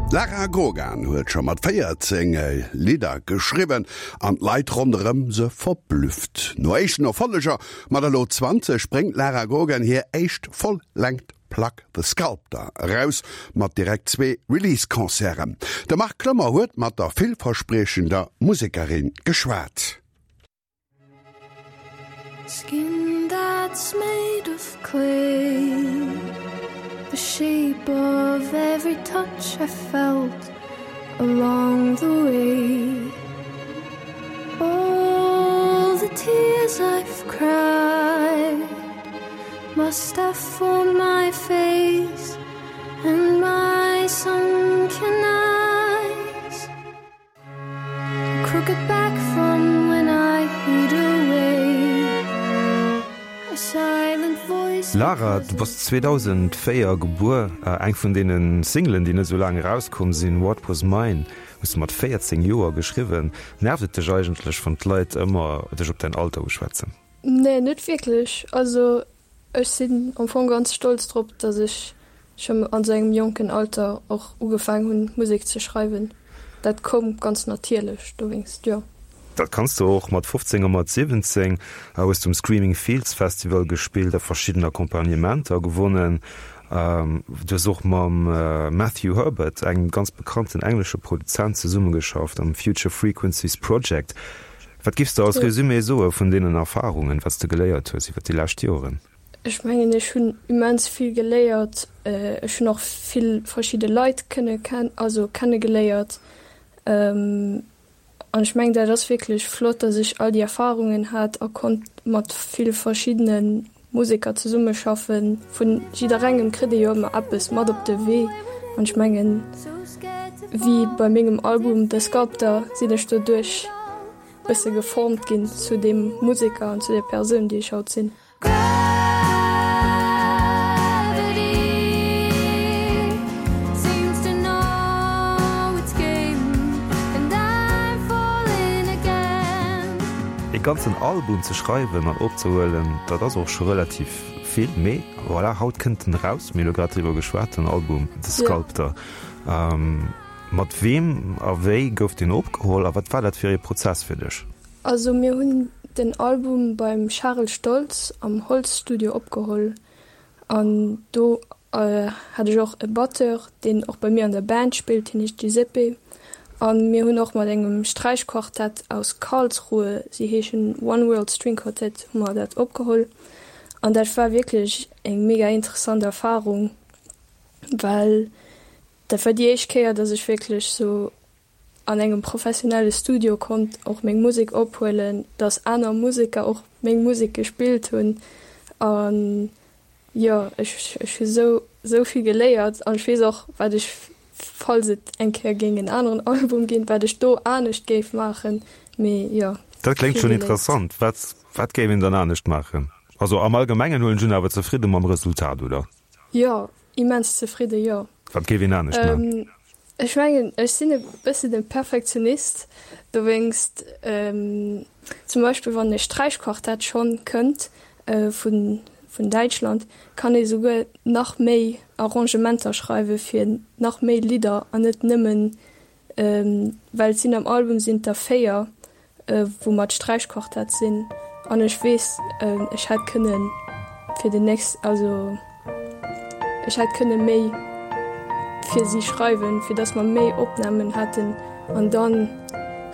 D'Lara Grogan huet scho mat 14 Lidder geschriwwen an d'Leit ronderëm se verblüfft. No éischten Erfolleger mat elo 20 bréngt d'Lara Grogan hir éischt Voll-Längt Plack The Sculptor eraus, mat direkt zwee Release-Concerten. De Marc Clement huet mat der villverspriechender Musekerin geschwat. Skin that's made of clay The shape of every touch I felt along the way All the tears I've cried Must have formed my face and my sunken eyes Crooked back from when I hid away A silent voice Lara, du bass 2004 gebuer. Eng vun deene Singlen, déi net esou laang erauskomm sinn, What Was Mine, hues du mat 14 Joer geschriwwen. Nervt et dech eigentlech, wann d'Leit ëmmer dech op däin Alter uschwätzen? Nee, net wierklech. Also ech sinn am Fong ganz stolz drop, dass ech schonn an sou engem jonken Alter och ugefaang hunn Musek ze schreiwen. Dat koum ganz natierlech, dowéinst jo. Dat kanns de och. Mat 15 a mat 17 hues du um Screaming Fields Festival gespillt a verschidden Accompagnementer gewonnen. Du hues och mam Matthew Herbert, engem ganz bekannten englesche Produzent, zesummegeschafft am Future Frequencies Project. Wat giffs de als Resumé soe vun deenen Erfahrungen, wat s de geléiert hues iwwer déi lescht Joren? Ech mengen ech hunn immens vill geléiert. Ech hunn och vill verschidde Leit kënne also kennegeléiert. An ech mengen dat ass wierklech flott, datt ech all déi Erfahrungen hat a konnt mat vill verschiddene Museker zesummeschaffen. Vun jidderengem kritt ee jo ëmmer eppes mat op de Wee an ech mengen, wéi bei mengem Album The Sculptor sinn ech doduerch bësse geformt ginn zu deem Museker an zu der Persoun, déi ech haut sinn. E ganzen Album ze schreiwen an opzehuelen, dat ass och scho relativ vill, mee voilà, haut kënnt en eraus. Mir hu lo grad driwwer geschwat, den Album The Sculptor. Mat weem a wéi gouf deen opgeholl a wat war dat fir ee Prozess fir dech? Also mir hunn den Album beim Charel Stoltz am Holzstudio opgeholl an do hat ech och e Batteur, deen och bei mir an der Band spillt, hien heescht Giuseppe. A mir hunn och mat engem Sträichquartett aus Karlsruhe, si heeschen One World String Quartet, hu mer dat opgeholl. An dat war wierklech eng mega interessant Erfarung, well dat war déi éischt Kéier, dass ech wierklech sou an engem professionelle Studio konnt och meng Musek ophuelen, dass aner Museker och meng Musek gespillt hunn an jo, ech ech hu sou sou vill geléiert an ech weess och wat ech, falls et eng Kéier géing en aneren Album ginn, wat ech do anescht géif maachen, mee jo, Dat kléngt vill schonn geléiert. interessant. Wat wat géif een dann anescht maachen? Also am Allgemengen huelen ech un awer zefridde mam Resultat, oder? Jo, immens zefridde, jo. Wat géif een anescht maachen? Ech mengen, ech sinn e bëssen e Perfektionist, dowéinst zum Beispill wann e Sträichquartett schonn kënnt vun vun Däitschland, kann ee souguer nach méi Arrangementer schreiwe fir nach méi Lidder an net nëmmen Well et sinn am Album sinn et der 4 wou mat Sträichquartett sinn an ech weess ech hätt kënne fir den nächst also ech hätt kënne méi fir si schreiwen, fir datt mer méi Opnamen hätten an dann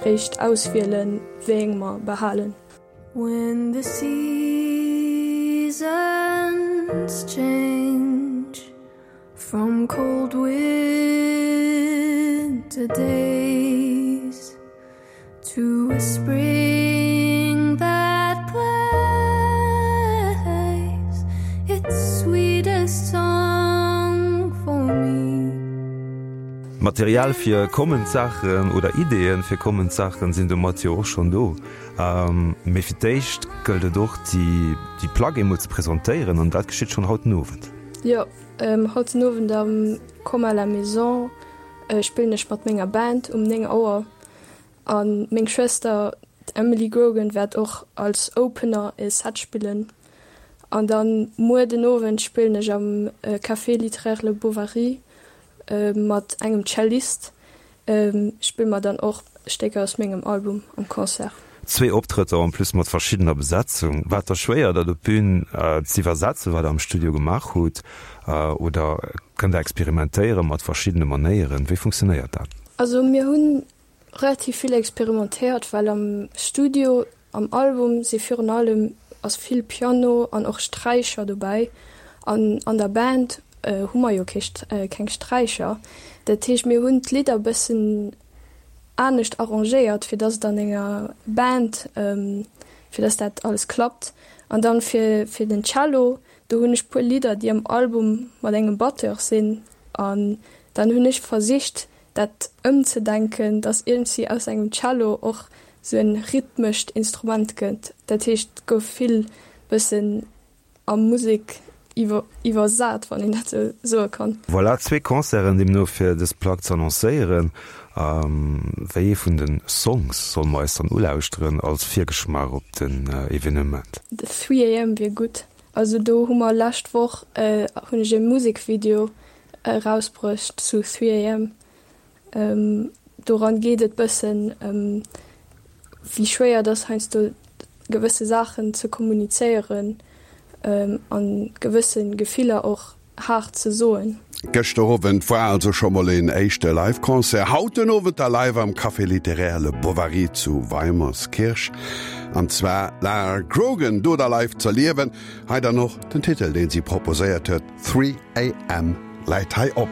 réischt auswielen wéi eng mer behalen. When the seasons change From cold winter days to a spring that plays its sweetest song for me. Material fir kommend Saachen oder Ideeën fir kommend Saachen sinn domat jo och schonn do. Mee fir d'éischt gëllt et och déi Plack eemol ze presentéieren an dat geschitt schonn haut den Owend. Jo, haut den Owend am Comme à la Maison spillen ech mat menger Band um 9 Auer an meng Schwëster d'Emily Grogan wäert och als Opener e Set spillen. An dann muer den Owend spillen ech am Café Littéraire Le Bovary. mat engem Cellist spille mer dann och Stécker aus mengem Album am Concert. Zwee Optrëtter en plus mat verschiddener Besetzung. War et da schwéier, dat op d'Bün z'iwwersetzen, wat der am Studio gemaach hutt? Oder kënnt der experimentéiere mat verschiddene Manéieren? Wéi funktionéiert dat? Also mir hunn relativ vill experimentéiert, well am Studio, am Album si virun allem ass vill Piano an och Sträicher dobäi an an der Band hu mer jo kee keng Sträicher. Dat heescht mir hunn d'Lidder bëssen anescht arrangéiert, fir dass et an enger Band, fir dass dat alles klappt. An dann fir fir den Cello, do hunn ech puer Lidder, déi am Album mat engem Batteur sinn an dann hunn ech versicht dat ëmzedenken, dass iergendwéi aus engem Cello och sou en rhythmescht Instrument gëtt. Dat heescht, et gouf vill bëssen a Musek iwwersat, wann een dat sou soe kann. Voilà, zwee Concerten deemno fir dës Plack ze annoncéieren. Wéi ee vun de Songs solle mer eis dann ulauschteren als Virgeschmaach op den Evenement? The 3 AM wier gutt. Also do hu mer lescht Woch hunn ech e Musekvideo erausbruecht zu 3 AM. Doran geet et bëssen ëm wéi schwéier et ass heiansdo gewësse Saachen ze kommunizéieren an gewësse Gefiller och haart ze soen. Gëschter Owend war also scho mol een éischte Live-Concert. Haut den Owend da live am Café Littéraire Le Bovary zu Weimerskirch. An zwar Lara Grogan do da live z'erliewen. Hei dann och den Titel, deen si proposéiert huet, 3 AM läit hei op.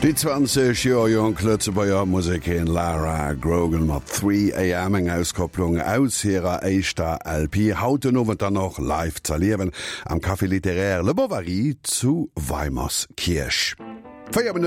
Déi 20 Joer jonk Lëtzebuerger Musekerin Lara Grogan mat 3 AM, eng Auskopplung aus hirer éischter LP, haut den Owend dann och live z'erliewen am Café Littéraire Le Bovary zu Weimerskierch. 4 Minutten.